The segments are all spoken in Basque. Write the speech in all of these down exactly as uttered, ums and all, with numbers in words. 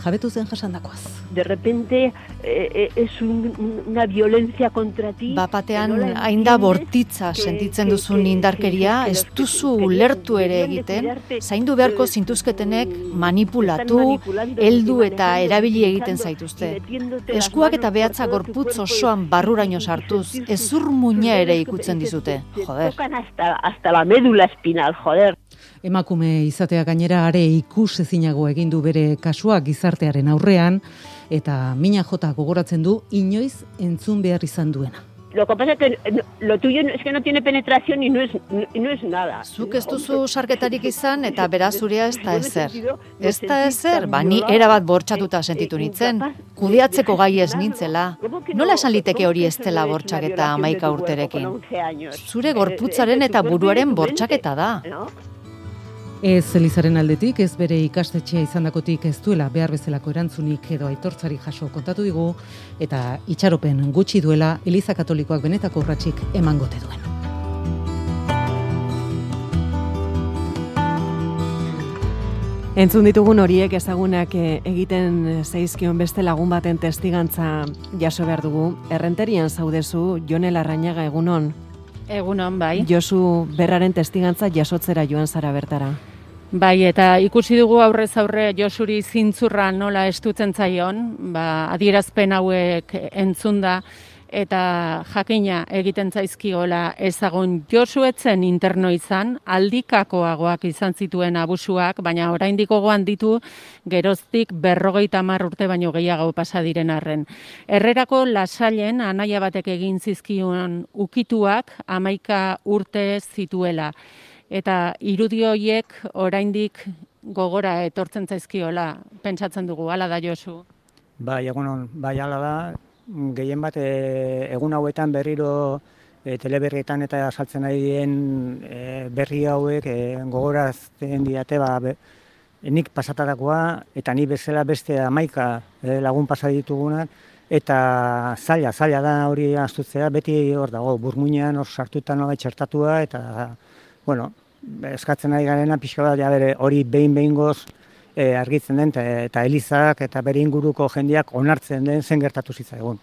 jabetu zen jasandakoaz. De repente eh, es un, una violencia contra ti. Bapatean hain da bortitza sentitzen duzun indarkeria, ez duzu ulertu ere egiten, zaindu beharko zintuzketenek manipulatu, heldu eta erabili egiten zaituzte. Eskuak eta behatza gorputz osoan barruraino sartuz, ezur muina ere ikutzen dizute, joder. Hasta, hasta la médula espinal, joder. Emakume izatea gainera are ikus ezinago egin du bere kasua gizartearen aurrean, eta mina jota gogoratzen du inoiz entzun behar izan duena. Lo que pasa es que lo tuyo es que no tiene penetración y no es, y no es nada. Zuk ez duzu sarketarik izan eta beraz zurea ez da ezer. Ez da ezer, ba ni erabat bortxatuta sentitu nintzen. Kudeatzeko gai ez nintzela. Nola esan liteke hori ez dela bortxaketa hamaika urterekin? Zure gorputzaren eta buruaren bortxaketa da. Ez Elizaren aldetik, ez bere ikastetxea izandakotik ez duela behar bezalako erantzunik edo aitortzari jaso kontatu digu, eta itxaropen gutxi duela Eliza Katolikoak benetako urratsik emangote duen. Entzun ditugun horiek ezagunak egiten zaizkion beste lagun baten testigantza jaso behar dugu. Errenterian zaudezu, Jone Larrañaga, egunon. Egunon, bai. Josu Berraren testigantza jasotzera joan zara bertara. Bai, eta ikusi dugu aurrez aurre Josuri zintzurra nola estutzen zaion, ba, adierazpen hauek entzunda, eta jakina egiten zaizkiola ezagun. Josu etzen interno izan, aldikakoagoak izan zituen abusuak, baina oraindik gogoan ditu geroztik berrogeita hamar urte baino gehiago pasa diren arren. Herrerako Lasailen anaia batek egin zizkion ukituak hamaika urte zituela. Eta irudi horiek oraindik gogora etortzen zaizkiola, pentsatzen dugu, hala da Josu? Bai, egunon, bai, hala da. Gehien bat e, egun hauetan berriro e, teleberrietan eta saltzen ari dien e, berri hauek e, gogorazten diate, ba, be, nik pasatarakoa eta ni bezala beste hamaika e, lagun pasa ditugunak, eta zaila, zaila da hori astutzea, beti hor dago, burmuinean hor sartuta nola txertatua, eta, bueno, eskatzen ari garena pixka bat, ja bere, hori behin-behingoz e, argitzen den, eta Elizak eta bere inguruko jendeak onartzen den zen gertatu zitzaigun.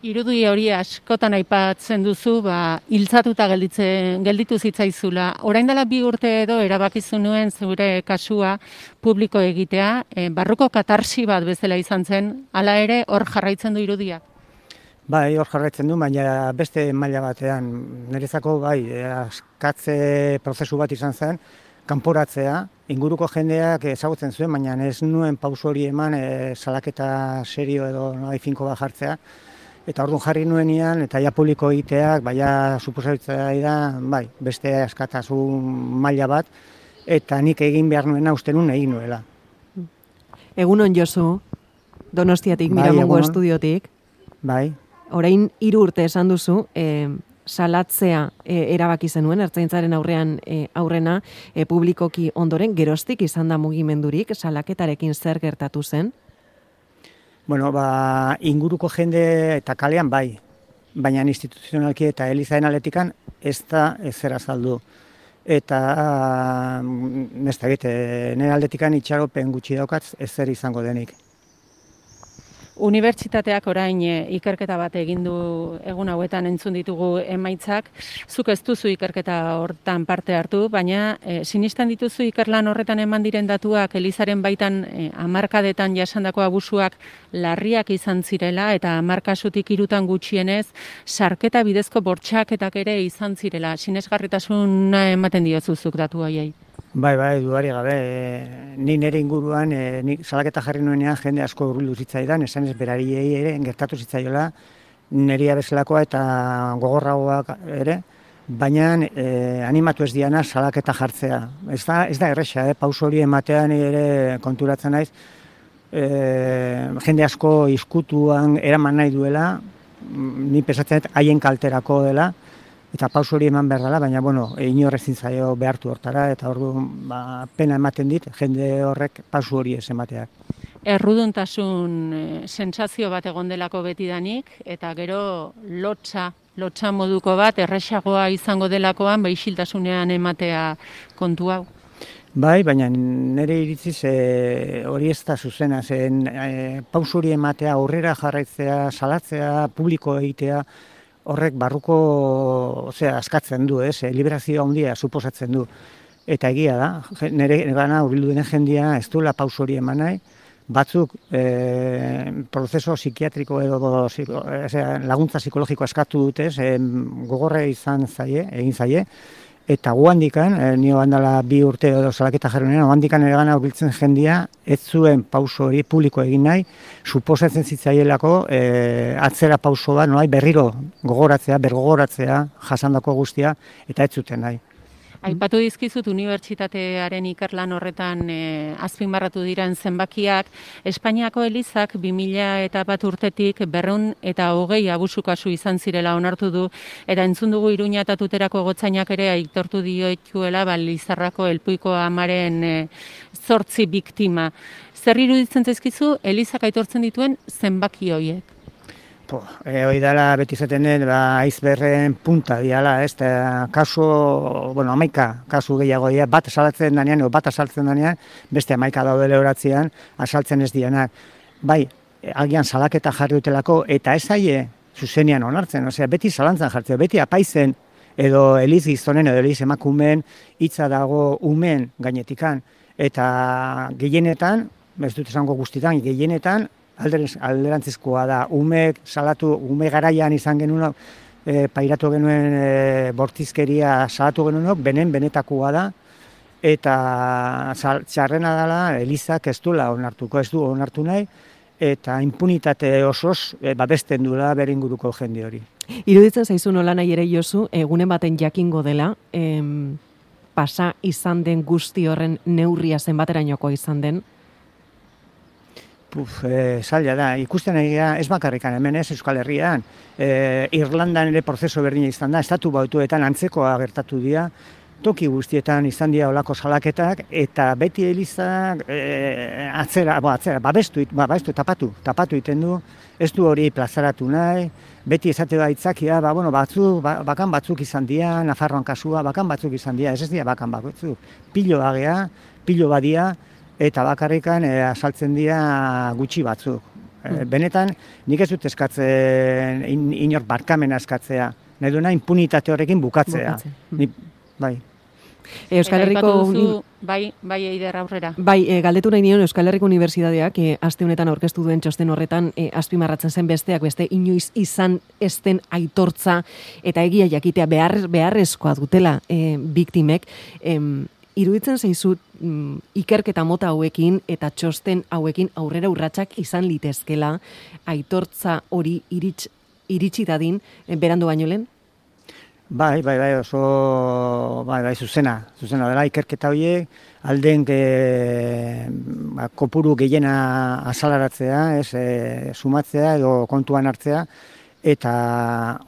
Irudi hori askotan aipatzen duzu, ba, hiltzatuta gelditzen, gelditu zitzaizula. Orain dela bi urte edo erabakizu nuen zure kasua publiko egitea, e, barruko katarsi bat bezala izan zen, hala ere hor jarraitzen du irudia? Bai, hor jarraitzen du, baina beste maila batean. Niretzako, bai, askatze prozesu bat izan zen, kanporatzea, inguruko jendeak ezagutzen zuen, baina ez nuen pauso hori eman e, salaketa serio edo nahi finko bat jartzea. Eta orduan jarri nuenean, eta ja publiko egiteak, baina suposatzea da, bai, beste askatasun maila bat, eta nik egin behar nuena uste nuen egin nuela. Egunon Josu, Donostiatik, bai, Miramongo egunon. Estudiotik. Bai. Orain hiru urte esan duzu, e, salatzea e, erabaki zenuen, ertzaintzaren aurrean e, aurrena, e, publikoki ondoren, geroztik izan da mugimendurik, salaketarekin zer gertatu zen? Bueno, ba, inguruko jende eta kalean bai, baina instituzionalki eta Elizaen aletikan ez da ezer azaldu. Eta ez da egite, nire aldetikan itxaropen gutxi daukatz ezer izango denik. Unibertsitateak orain e, ikerketa bat egin du egun hauetan entzun ditugu emaitzak. Zuk ez duzu ikerketa hortan parte hartu, baina e, sinistan dituzu ikerlan horretan eman diren datuak Elizaren baitan e, hamarkadetan jasandako abusuak larriak izan zirela eta hamar kasutik hirutan gutxienez sarketa bidezko bortxaketak ere izan zirela. Sinesgarritasuna ematen diozuzuk datu horiei. Bai, bai, dudarik gabe, e, ni nire inguruan, e, ni salaketa jarri nuenean jende asko hurbildu zitzaidan, esan ez berariei ere gertatu zitzaiola, nirea bezalakoa eta gogorragoak ere, baina e, animatu ez diana salaketa jartzea. Ez da, ez da erresa, eh? Pauso hori ematean ere konturatzen naiz, e, jende asko izkutuan eraman nahi duela, ni pesatzen haien kalterako dela, eta pauso hori eman behar dela, baina, bueno, inor ezin zaio behartu hortara, eta orduan ba, pena ematen dit, jende horrek pauso hori ez emateak. Erruduntasun e, sentsazio bat egon delako betidanik, eta gero lotsa, lotsa moduko bat, erresagoa izango delakoan, ba, isiltasunean ematea kontu hau. Bai, baina nire iritziz e, hori ez da zuzena, zen e, pauso hori ematea, aurrera jarraitzea, salatzea, publiko egitea, horrek barruko, osea, askatzen du, ez, e, liberazio handia suposatzen du. Eta egia da, nire gana hurbildu denen jendia ez duela pauso hori eman nahi, batzuk e, prozeso psikiatriko edo ziko, e, laguntza psikologiko eskatu dute, e, gogorre izan zaie, egin zaie, eta guandikan, e, nio handala bi urte edo salaketa jarrunean, guandikan ere gana hurbiltzen jendia, ez zuen pauso hori publiko egin nahi, suposatzen zitzaielako e, atzera pauso bat, noai, berriro gogoratzea, bergogoratzea, jasandako guztia, eta ez zuten nahi. Aipatu dizkizut unibertsitatearen ikerlan horretan e, azpimarratu diren zenbakiak, Espainiako elizak bi mila eta bat urtetik berrehun eta hogei abusu kasu izan zirela onartu du, eta entzun dugu Iruña eta Tuterako gotzainak ere aitortu dioituela ba, Lizarrako Elpuiko amaren e, zortzi biktima. Zer iruditzen zaizkizu elizak aitortzen dituen zenbaki horiek? Po, e, hoi dela beti zaten den, ba, aizberren punta diala, ez, eta kasu, bueno, amaika kasu gehiago dira, bat asalatzen danean, o bat asaltzen danean, beste amaika daude lehoratzean, asaltzen ez dianak. Bai, agian salaketa jarri dutelako, eta ez aie zuzenean onartzen, osea, beti zalantzan jartzen, beti apaizen, edo eliz gizonen, edo eliz emakumen, hitza dago umen gainetikan, eta gehienetan, ez dut esango guztitan, gehienetan, alderantzizkoa da, umek salatu, ume garaian izan genuen, e, pairatu genuen e, bortizkeria salatu genuen, benen benetakoa da, eta sal, txarrena dela, elizak ez duela onartuko, ez du onartu nahi, eta impunitate osoz e, babesten duela beringuruko jende hori. Iruditzen zaizu nola nahi ere Josu, egunen baten jakingo dela, em, pasa izan den guzti horren neurria zenbaterainokoa izan den? Puf, e, zaila da, ikusten egia ez bakarrikan hemen ez Euskal Herrian, e, Irlandan ere prozeso berdina izan da, estatu bautuetan antzekoa gertatu dira, toki guztietan izan dira olako salaketak, eta beti elizak e, atzera, bo, atzera, babestu, babestu, tapatu, tapatu iten du, ez du hori plazaratu nahi, beti esate da itzakia, ba, bueno, batzu, ba, bakan batzuk izan dira, Nafarroan kasua, bakan batzuk izan dira, ez ez dira bakan batzuk, pilo bagea, pilo badia, eta bakarrikan e, asaltzen dira gutxi batzuk. E, benetan, nik ez dut eskatzen in, inor barkamena eskatzea, nahi duena impunitate horrekin bukatzea. Ni, bai. Euskal Herriko duzu, bai, bai eider aurrera. Bai, e, galdetu nahi nion Euskal Herriko Unibertsitateak e, aste honetan aurkeztu duen txosten horretan e, azpimarratzen zen besteak beste inoiz izan ezten aitortza eta egia jakitea behar, beharrezkoa dutela e, biktimek. E, Iruditzen zaizut mm, ikerketa mota hauekin eta txosten hauekin aurrera urratsak izan litezkela aitortza hori iritsi, iritsi dadin e, berandu baino lehen? Bai, bai, bai, oso bai, bai, zuzena, zuzena dela ikerketa horiek, alden e, ba, kopuru gehiena azalaratzea, ez, e, sumatzea edo kontuan hartzea, eta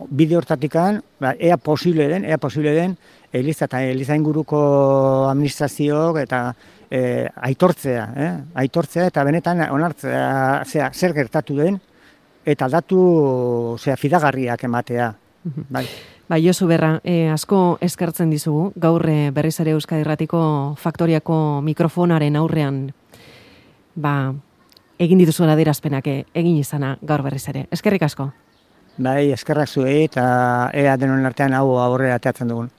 bide hortatikan, ba, ea posible den, ea posible den, Eliza eta Eliza inguruko administrazioak eta e, aitortzea, eh? aitortzea eta benetan onartzea, zera, zer gertatu den, eta datu zera, fidagarriak ematea. Bai. Bai, Josu Berra, e, asko eskertzen dizugu, gaur e, berriz ere Euskadi Irratiko Faktoriako mikrofonaren aurrean, ba, egin dituzuen adierazpenak egin izana gaur berriz ere. Eskerrik asko. Bai, eskerrak zuei eta ea denon artean hau aurrera ateatzen dugun.